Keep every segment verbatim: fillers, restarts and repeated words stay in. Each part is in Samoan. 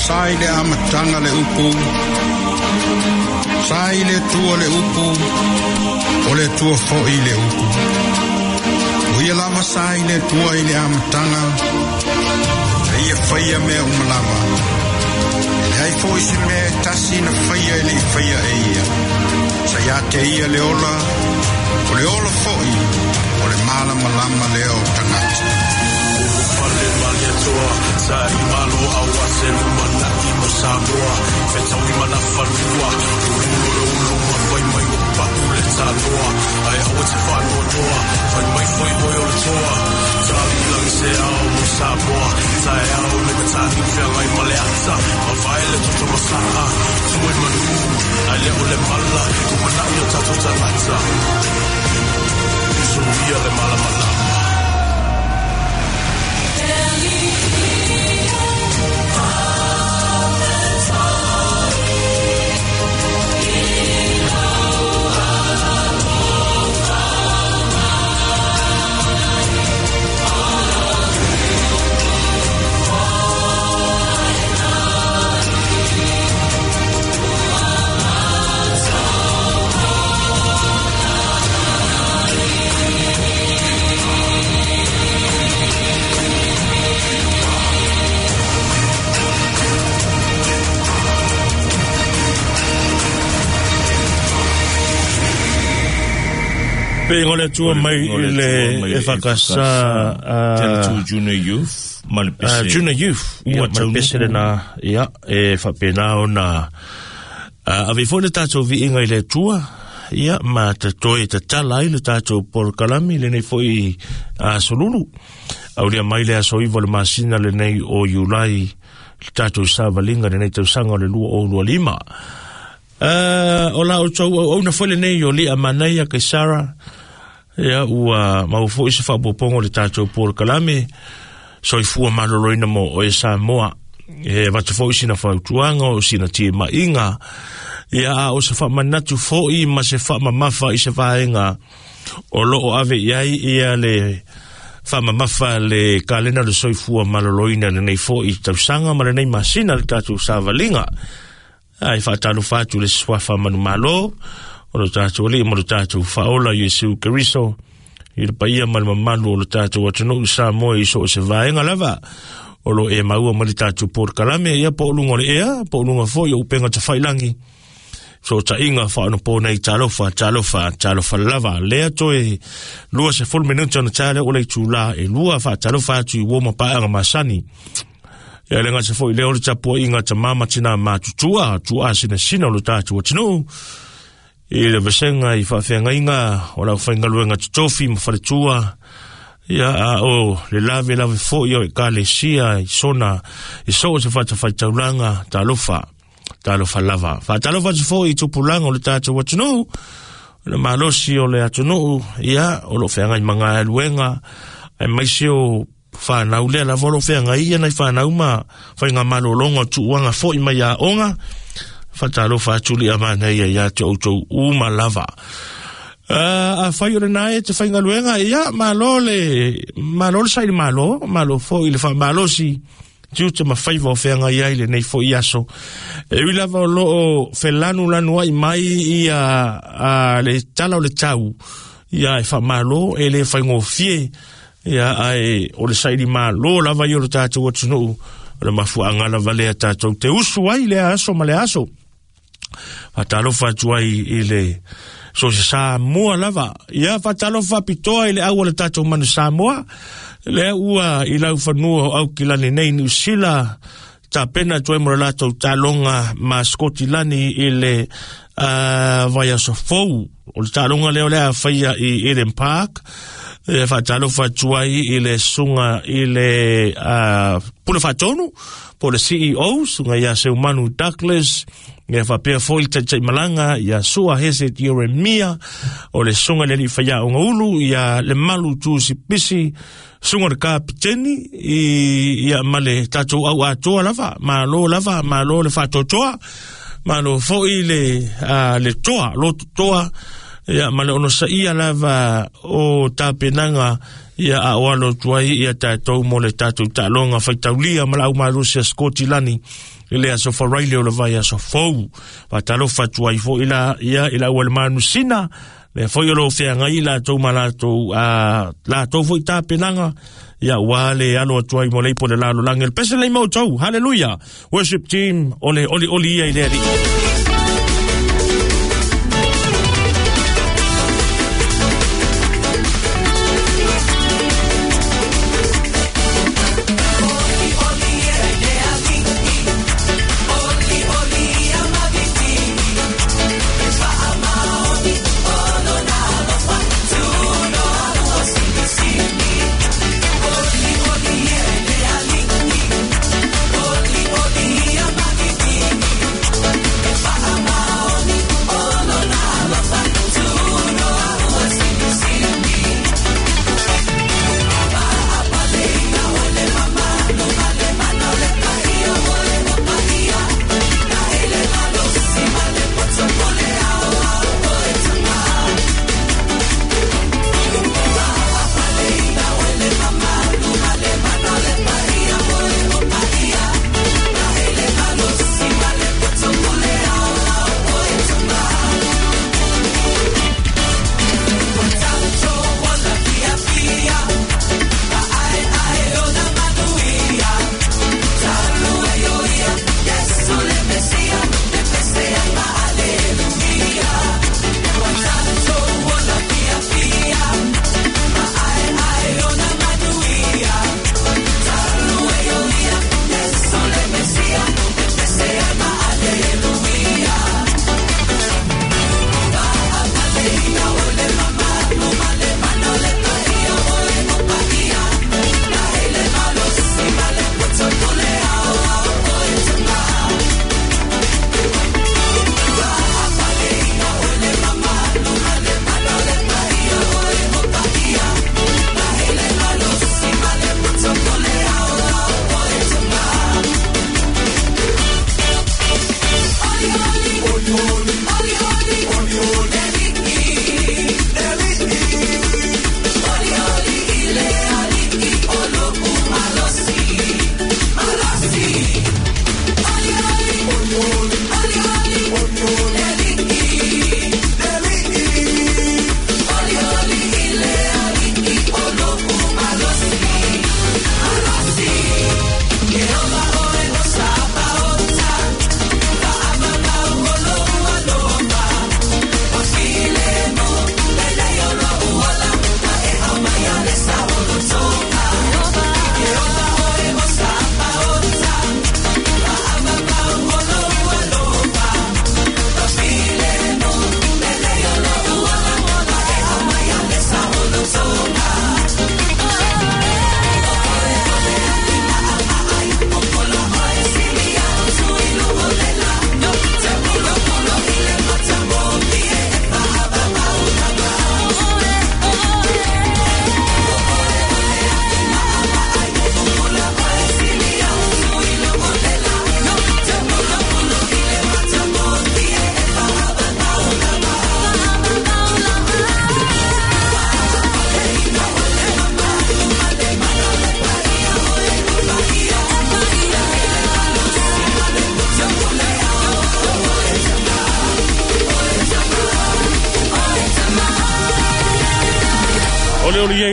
Sa i le amataga le upu, sa i le Atua le upu, o le Atua foi le upu. O ia lava sa i le Atua i le amataga, e ia faia mea uma lava. E leai foi se mea e tasi na faia e le i faia e ia. Sa ia te ia le ola, o le ola foi, o le malamalama lea o tagata. Ulufale maliatoa, sa i malo aua se lumanai mo Samoa. Fetaui manafanua, ululo le uluma fai mai o pau le tanoa. Ai aua te whanoanoa, fai mai foi hoi o le toa. Tali langi se ao mo Samoa, tae ao le matani whiangai ma le ata. Mawhae le toto masaa, tue manu, ai le o le mala, lumanai o tatou tangata. Suia le malamalama. Pe ngole tua mai le e whakasa Tele Junior Youth ma le pese Junior Youth ia ma le pese lena ia e whapena ona ave foi le tātou viinga i le tua ia ma te toe te tala ai le tātou polokalami lenei foi asolulu aulia mai le aso iwa le masina lenei o Iulai le tātou savalinga lenei tausaga o le lua o lua lima. Uh, o la o tau au na foi lenei o lia manaia kai Sarah ia ua mau foi se faapopoga o le tātou polokalame soifua maloloina mo o e Samoa e vatu foi sina fautuaga o sina timaiga ia a o se faamanatu foi ma se faamamafa i se vaega o loo ave i ai ia le faamamafa le kalena le soifua maloloina lenei foi tausaga ma lenei masina le tātou savaliga. Ai whaatalofa atu le suafa manumalo o lo tātou alii ma lo tātou whaola Iesu Keriso i le paia ma le mamalu o lo tātou atunuu Samoa i so o se vaenga lava o lo e maua ma le tātou polokalame ia po o lunga o le ea po o lunga foi o upenga tawhailangi so tainga whaanopo nei talofa talofa talofa lava lea toe lua se full minuta na tale o le tūla e lua whaatalofa atu i woma paanga masani. Ia le ngasa foi leo le tapua inga ta mama tina matutua, tua sina sina o le tātou atunuu. I le vasenga i whaafeangaiga o lau whaingaluenga totofi ma whaletua. Ia a o le lave lave foi o e kalesia i sona i soo se whatawhaitaulanga talofa, talofa lava. Whaatalofa te foi i tupulanga o le tātou atunuu, le malosi o le atunuu, ia o lo wheangai mga aluenga, ai maisi o whanau lea lava o lo wheangai ia nai whanau ma whainga malolonga tuuanga foi mai a onga whatalofa atu lia mana ia ia te outou uma lava. Uh, a whai o le nae te whaingaluenga ia malo le malo le saili malo malo foi le whamalosi tiute ma whaiva o wheangai ai le nei foi aso. E ui lava o loo whelanu lanu ai mai ia a, le tala o le tau ia e whamalo e le whaingofie ia ai o le saili malo lava i o le tātou atunuu o le mafuaga lava lea tātou te usu ai le aso ma le aso. Whatalofa atu ai i le so se Samoa lava ia whatalofa pitoa i le au o le tātou manu Samoa le ua i lau fanua o Aukilani nei Niu Sila tapena atu ai mo le latou talonga ma Skotilani i le uh, vaiaso fou o le talonga lea o le a whaia i Eden Park. E whaatalofa atu ai i le sunga i le uh, pule whaatonu po le C E O sunga ia Seumanu Douglas ia whapea foi taitai malanga ia Sua Hese Jeremia o le sunga le li whaia o ngaulu ia le malu tusi pisi sunga le kapiteni i ia male tātou au atoa lava malo lava malo le whaatotoa malo foi le, uh, le toa lotu toa ia ma le ono saia lava o tapenaga ia a o alo atu ai ia tatou mo le tatou taaloga faitaulia ma le aumalusi a Skotilani Le aso faraile o le vai aso fou. Faatalofa atu ai foi la ia i le auale manusina le foi o lo feagai latou ma latou a latou foi tapenaga ia ua le alo atu ai mo le ipo le lalolagi. Le pese lei maoutou. Hallelujah Worship Team, o le olioli ia i le Alii.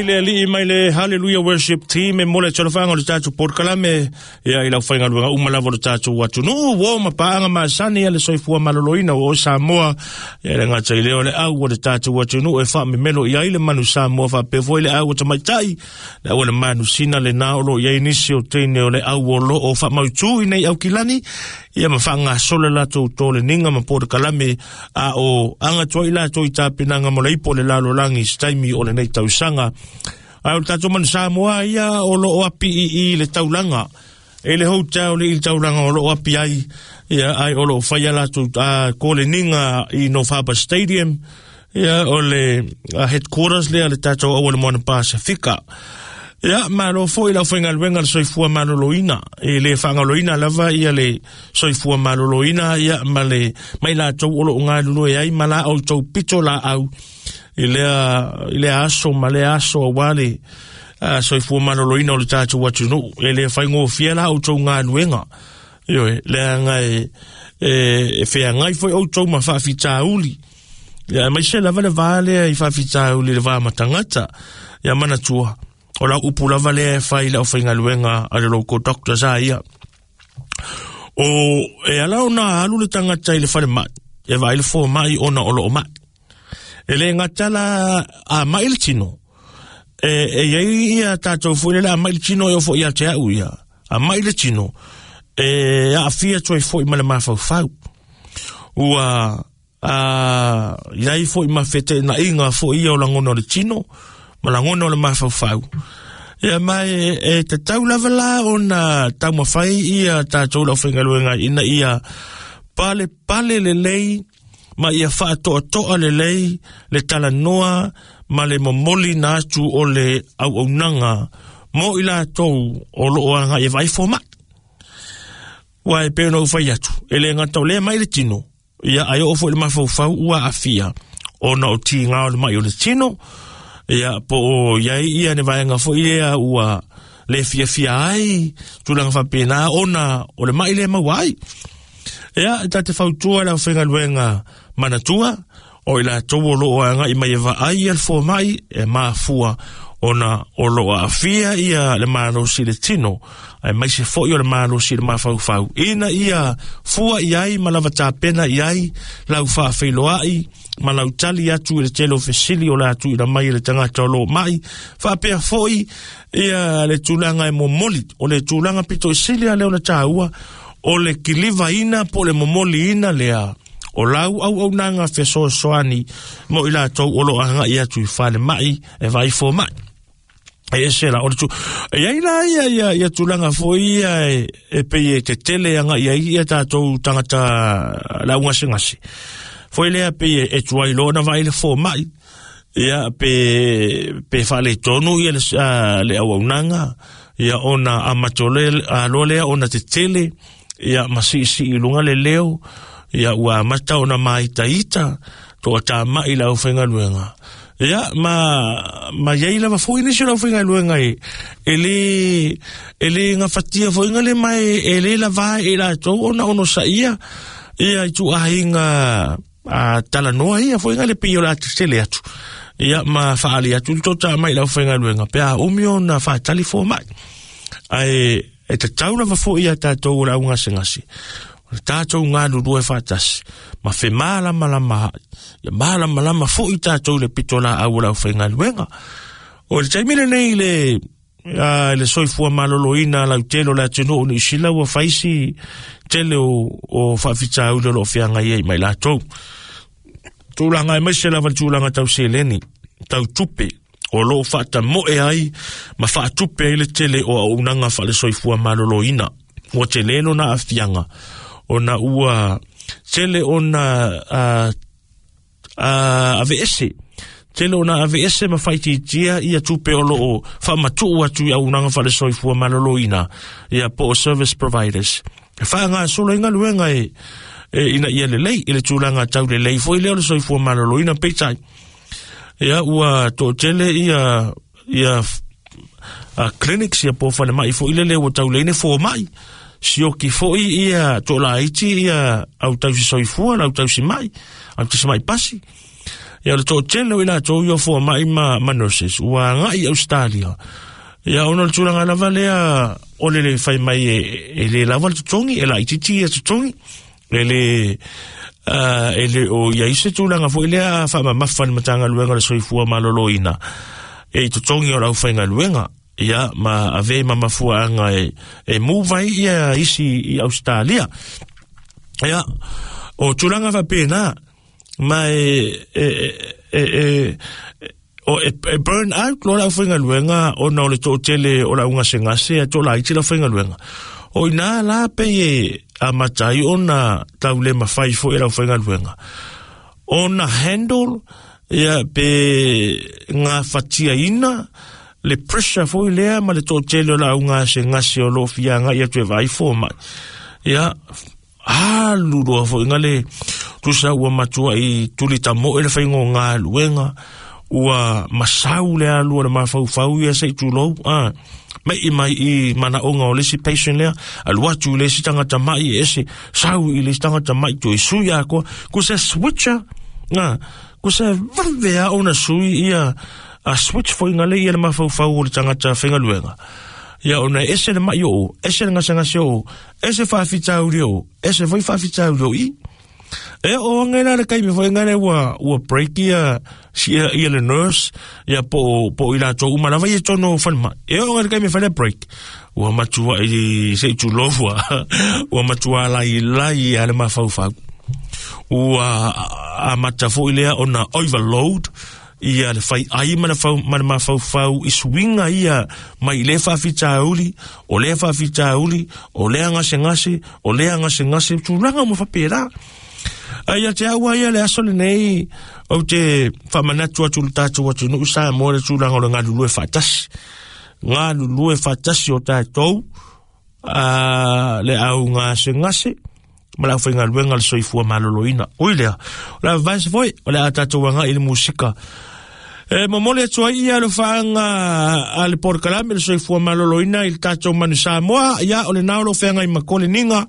Le alii mai le Hallelujah Worship Team e mole talofaga o le tatou polokalame ia i lau faigaluega uma lava o le tatou atunuu uo ma paaga masani a le soifua maloloina o Samoa ia le gata i lea o le au o le tatou atunuu e faamemelo i ai le manu Samoa faapea foi le au o tamaitai le au o le manusina lenā o loo i ai nisi o teine o le au o loo faamautū i nei aukilani ia ma faagasolo latou toleniga ma polokalame a o agatoa i latou i tapenaga mo le ipo o le lalolagi i se taimi o lenei tausaga. Ai o le tatou manu Samoa ia o loo api i i le taulaga e le hotel i le taulaga o loo api ai ia ai o loo faia latou koleniga i North Harbour Stadium ia o le headquarters lea le tatou au o le Moana Pasifika. Ia malo foi lau faigaluega le soifua maloloina e le faagaloina lava ia le soifua maloloina ia ma le mai latou o loo galulue ai ma la outou pito laau i lea i lea aso ma lea aso auā le soifua maloloina o le tatou atunuu e le faigofie la outou galuega Ioe, leaga e e feagai foi outou ma faafitauli. Ia aemaise lava le va lea i faafitauli le va ma tagata. Ia manatua, o lau upu lava lea e fai i le aufaigaluega a le local doctors a ia. O e ala ona alu le tagata i le falemai, e vaai le fomai ona o loo mai. E le gata la a mai le tino. E e iai ia tatou foi le a mai le tino e ofo ia te au ia. A mai le tino e aafia toe foi ma le mafaufau. Ua a iai foi ma feteenaiga foi ia o lagona o le tino ma lagona o le mafaufau. Ia ma e, e tatau lava la ona taumafai ia tatou le aufaigaluega ina ia pale pale lelei ma ia faatoatoa lelei le talanoa ma le momoli na atu o le auaunaga mo i latou o loo agai e vaai fomai. Ua e pei ona ou fai atu, e le gata o lea mai le tino, ia ae oo foi le mafaufau ua aafia ona o tiga o le mai o le tino, ia po o iai ia ne vaega foi lea ua le fiafia ai tulaga faapena ona o le mai lea maua ai. Ia e ta te fautua le aufaigaluega manatua o i latou o loo agai mai e vaai ia le fomai e mafua ona o loo aafia ia le malosi i le tino aemaise foi o le malosi i le mafaufau ina ia fua i ai ma lava tapena i ai lau faafeiloai ma lau tali atu i le tele o fesili o le a tuuina mai e le tagata o loo mai faapea foi ia le tulaga e momoli o le tulaga pito i sili a lea ona taua o le kilivaina po o le momoliina lea o lau auaunaga fesoasoani mo i latou o loo agai atu i falemai e vaai fomai. E ese la o le tu e ai la ia ia ia tulaga foi ia e, e pei e tetele agai ai ia tatou tagata laugasegase foi lea pei e tuai loa ona vaai le fomai ia pe pe faaletonu ia le, a, le auaunaga ia ona amata loa lea ona tetele ia ma siisii i luga le leo ia ua amata ona maitaita toatamai le aufaigaluega. Ia ma ma iai lava foi nisi o le aufaigaluega e e le e le gafatia foiga le mai e le lava e latou ona onosaia ia i tuuaiga a talanoa ia foiga le pei o le a tetele atu. Ia ma faali atu le toatamai i le aufaigaluega pe a umi ona faatali fomai. Ae e tatau lava foi ia tatou o le augasegase o le tatou galulue faatasi ma femalamalama ia malamalama foi tatou i le pito laau o le aufaigaluega. O le taimi lenei le a le soifua maloloina lautele o le atunuu o Niu Sila ua fai si tele o, o faafitauli o loo feagai ai ma i latou. Tulaga aemaise lava le tulaga tau seleni, tau tupe o loo faatamoe ai ma faatupe ai le tele o auaunaga faale-soifua maloloina. Ua tele lona aafiaga ona ua tele ona a, a, aveese tele ona aveese ma faitiitia ia tupe o loo faamatuu atu i auaunaga faale-soifua maloloina ia po o service providers. E faagasolo ai galuega e, e ina ia lelei i le tulaga tau lelei foi lea o le soifua maloloina peitai. Ia ua toatele ia ia a clinics ia po o falemai foi lele ua tauleine fomai sioki foi ia toolaiti ia au tausi soifua le au tausi mai au tausi mai pasi. Ia o le toatele o i latou ia fomai ma, ma nurses ua agai i Australia. Ia ona o le tulaga lava lea o le le fai mai e, e le lava le totogi e laitiiti ia totogi e le uh, e le o iai se tulaga foi lea faamamafa le Matagaluega o le Soifua Maloloina e i totogi o le aufaigaluega ia ma ave ma mafuaaga e, e move ai ia isi i Australia. Ia o tulaga faapena ma e e e, e, o e, e burn out loa le aufaigaluega ona o le toatele o le augasegase a toolaiti le aufaigaluega. O ina la pei e amata ai ona tau le mafai foi e le aufaigaluega ona handle ia pe gafatiaina le pressure foi lea ma le toatele o le augasegase o loo fiagai atu e vaai fomai. Ia alu loa foiga le tusa ua matuai tulitamoe le faiga o galuega Ua masau le alu o le mafaufau ia se i tulou a mai mai i manaoga o le isi patient lea alu atu i le isi tagata ma'i e ese sau i le isi tagata ma'i toe sui atoa ku se switcher a ku se vave a ona sui ia a switch foiga le ia le mafaufau o le tagata faigaluega ia ona ese le ma'i o'o ese le gasegase o'o ese faafitauli o'o ese foi faafitauli o i e o anga la le kaimi foi ngale ua ua break ia ia ia le nurse ia po po ila to uma lava ia tono falma e o ngale kaimi fale break ua matua i se tu lofua ua matua la ila ia le mafaufau ua amata foi lea ona overload ia le fai ai ma le fau ma le mafaufau i suiga ia mai le faafitauli o le faafitauli o le gasegase o le gasegase tulaga mo fapela. Ai te aua ia le aso lenei o te whamanatu atu le tātou atu nuu sa mo le tulaga o le galulue faatasi. Galulue faatasi o tātou a, le au gasegase ma le aufaigaluega le soifua maloloina. Ui lea, o le advice foi, o le a tātou anga i le musika. E momoli atu ai ia le whaanga a le porokalame le soifua maloloina i le tātou manu Samoa. Ia o le nao lo whaanga i makole ninga.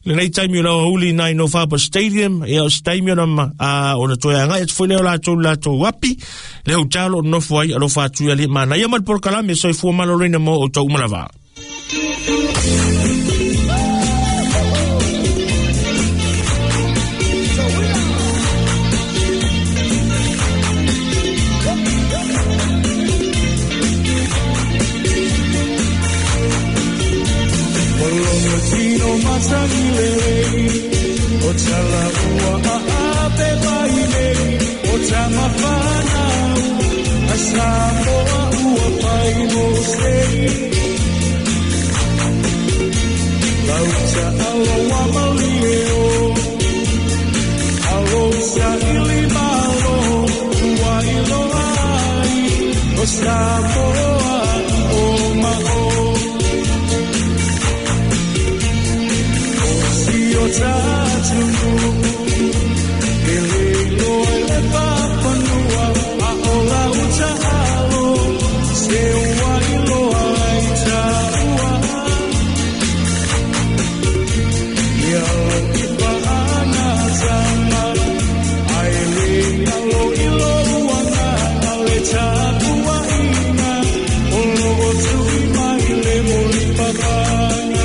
Le nei taimi o lau hauli nai no Fapa Stadium, ia o se taimi o na o na toe angai atu foi leo latou latou api, le hau talo o nofo ai alofa atu ia le mana. Ia ma le porokalame soifua maloloina mo o tau umalava. O tala ua aape mai nei o tamawhanau a Samoa ua pai mo sei lauta aloa malie o alo sa ili malo ua iloa ai o Samoa o mao o tatunu ele loa le papanua a ola uta alo se ua iloa ai taua ia lo ipa ana tama ai le alo ilo uanga ale tapua ina o lo o tui mai le moli papana.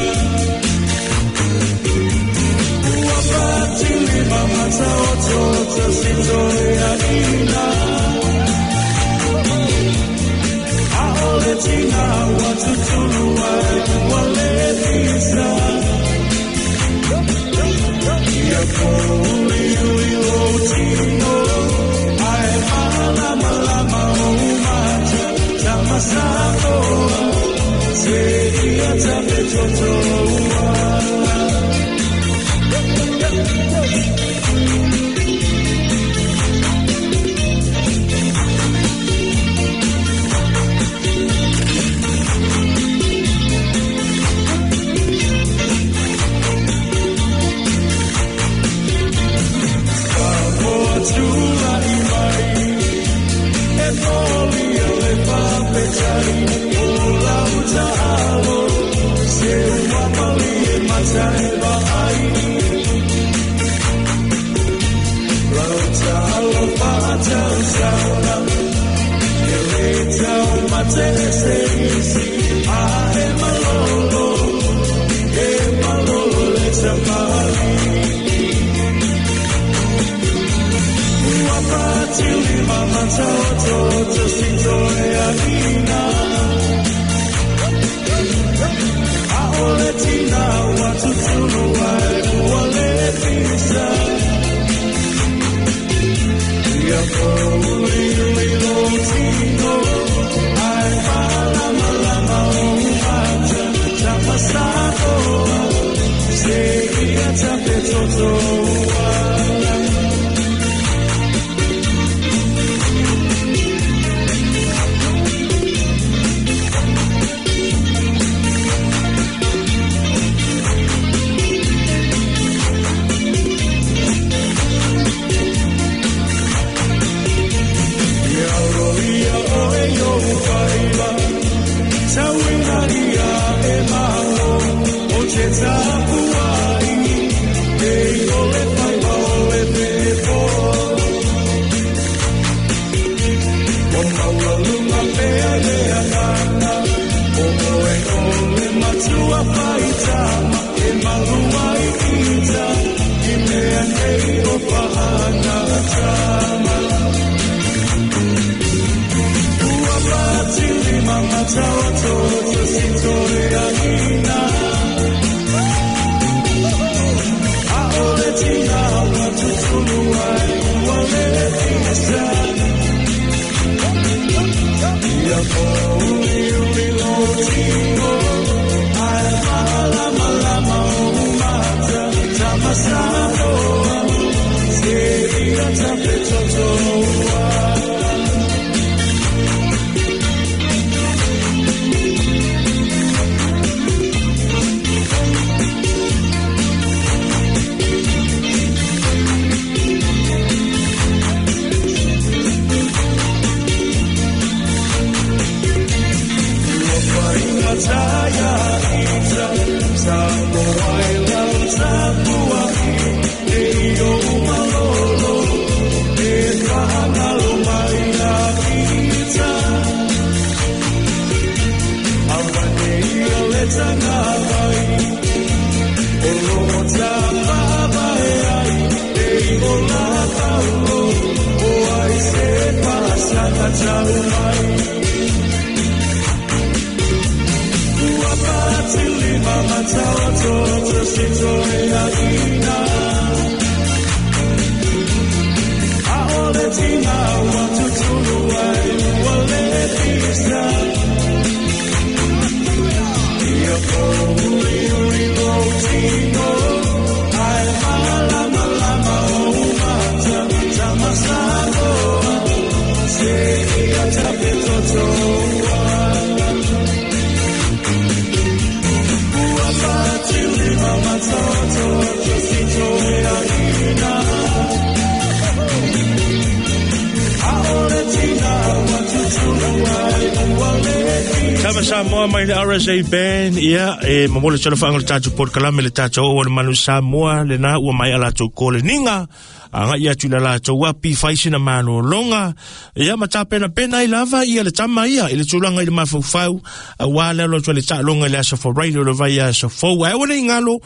Samoa mai le R S A Band, ia, e mamole tala whaanga le tātou porkalame le tātou o le manu Samoa, le nā ua mai a lātou kole ninga, a ngai atu la lātou api whaisina manu longa, ia ma tā pena pena i lava ia le tama ia, i le tūlanga i le mawhauwhau, a wā lelo atu le tālonga le asa forailo le vai asa fou, a ewa nei ngalo,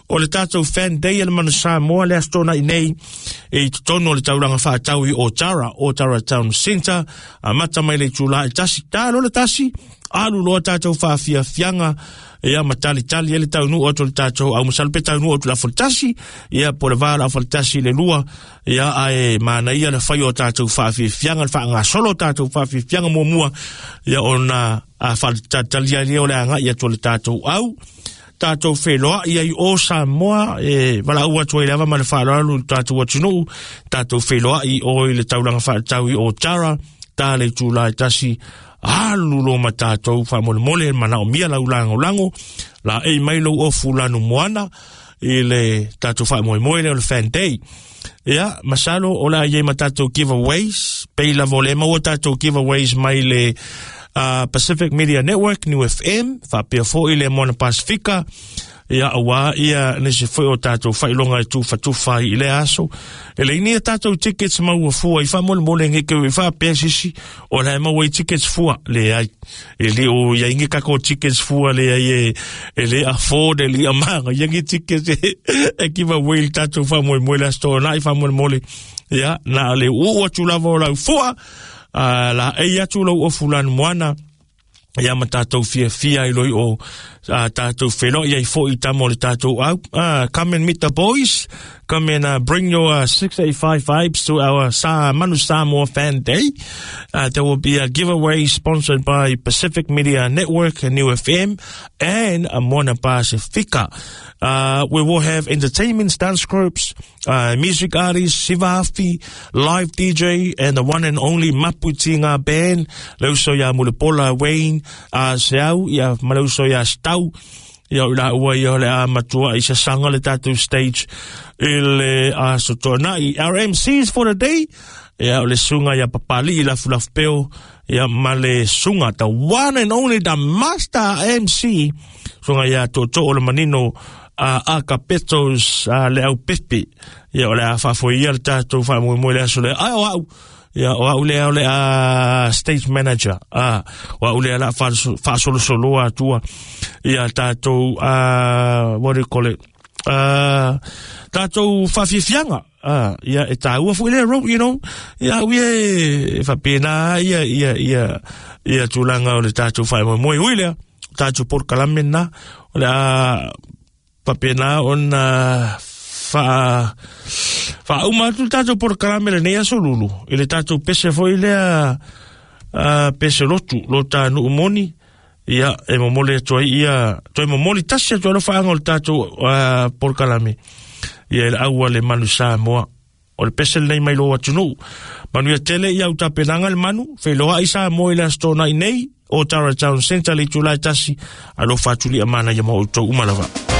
o le tātou fan day le manu Samoa le astona i nei, e i totono le tauranga whaatau i Otara, Otara Town Centre, a mata mai le tūla e tasi, tālo le tasi, alu loa tātou whaafiafianga, ia ma tali tali ele tau nu atu le tātou, au masalo pe tau nu atu la foltasi, ia po le vā la foltasi le lua, ia ae mana ia le whai o tātou whaafiafianga, le whaangasolo tātou whaafiafianga mua mua, ia ona a whaatali ali o le anga ia to le tātou au, tātou wheloa ia i o Samoa, e wala ua atu ai lava ma le whaalalu tātou atunuu, tātou wheloa i o i le taulanga whaatau i o Tara, tā le tūlai tasi, alu lo ma tātou whamolemole mana o mia lau lango lango, la e mai lo o fulanu moana, i le tātou whamoemoe le o le fan day. Ia, masalo, o la iei ma tātou giveaways, pei la vole maua tātou giveaways mai le uh, Pacific Media Network, New F M, whapea fo i le Moana Pasifika, ia awa ia nisi foi o tātou whailonga i tūwhatuwha i le aso. E le ini a tātou tickets maua fua i whamolemole nge keu i whapea sisi o la e maua i tickets fua le ai. E le o ia inge kako tickets fua le ai e, e le afford e le amanga ia nge tickets e, e kiva wei tātou whamoemoe le aso na i whamolemole. Ia na le uu atu lava o lau fua uh, la e atu lau o fulanu moana. Ia ma tātou fia fia i loi o uh, tātou whelo ia i fo i tamo le tātou au. Uh, come and meet the boys. Come and uh, bring your uh, six eighty-five vibes to our Sa Manu Samoa Fan Day. Uh, there will be a giveaway sponsored by Pacific Media Network and New F M and Moana Pasifika. Uh, we will have entertainment, dance groups, uh, music artists, Sivafi, live D J, and the one and only Maputinga Band. Leuso ia Mulepola Wayne, uh, Seau, ia Maleuso ia Stau, ia ula ua ia le a matua i sasanga le tātou stage i le a sotona i R M Cs for the day. Ia o le sunga ia papali i lafu lafu peo, ia ma le sunga, the one and only, the master M C, sunga ia toto o le manino a a kapetos a le au pepe. Ia o le a whafo ia le tātou whamoemoe le aso le ai o au. Ia o au le au le a stage manager. A o au le a la whasolosoloa atua. Ia tātou, uh, what do you call it? Uh, tātou whawhiwhianga. Ah, ia e tāua fo ile ro, you know. Ia ui e whapena ia ia ia ia tūlanga o le tātou whaimoemoe ui lea. Tātou porkalame nā. O le a whapena ona wha wha uma atu tātou porkalame le nei aso lulu. I le tātou pese fo ile a uh, pese lotu lo ta nuu moni ia e momoli atu ai ia toe momoli tasi atu ai alofaaga o le tatou uh, polokalame ia i le au a le Manu Samoa. O le pese lenei mai lou atunuu. Manuia tele ia utapenaga le manu, feiloai Samoa i le aso Toonai nei o Tara Town Center le itulā e tasi, alofa atu lia manaia ma outou uma lava.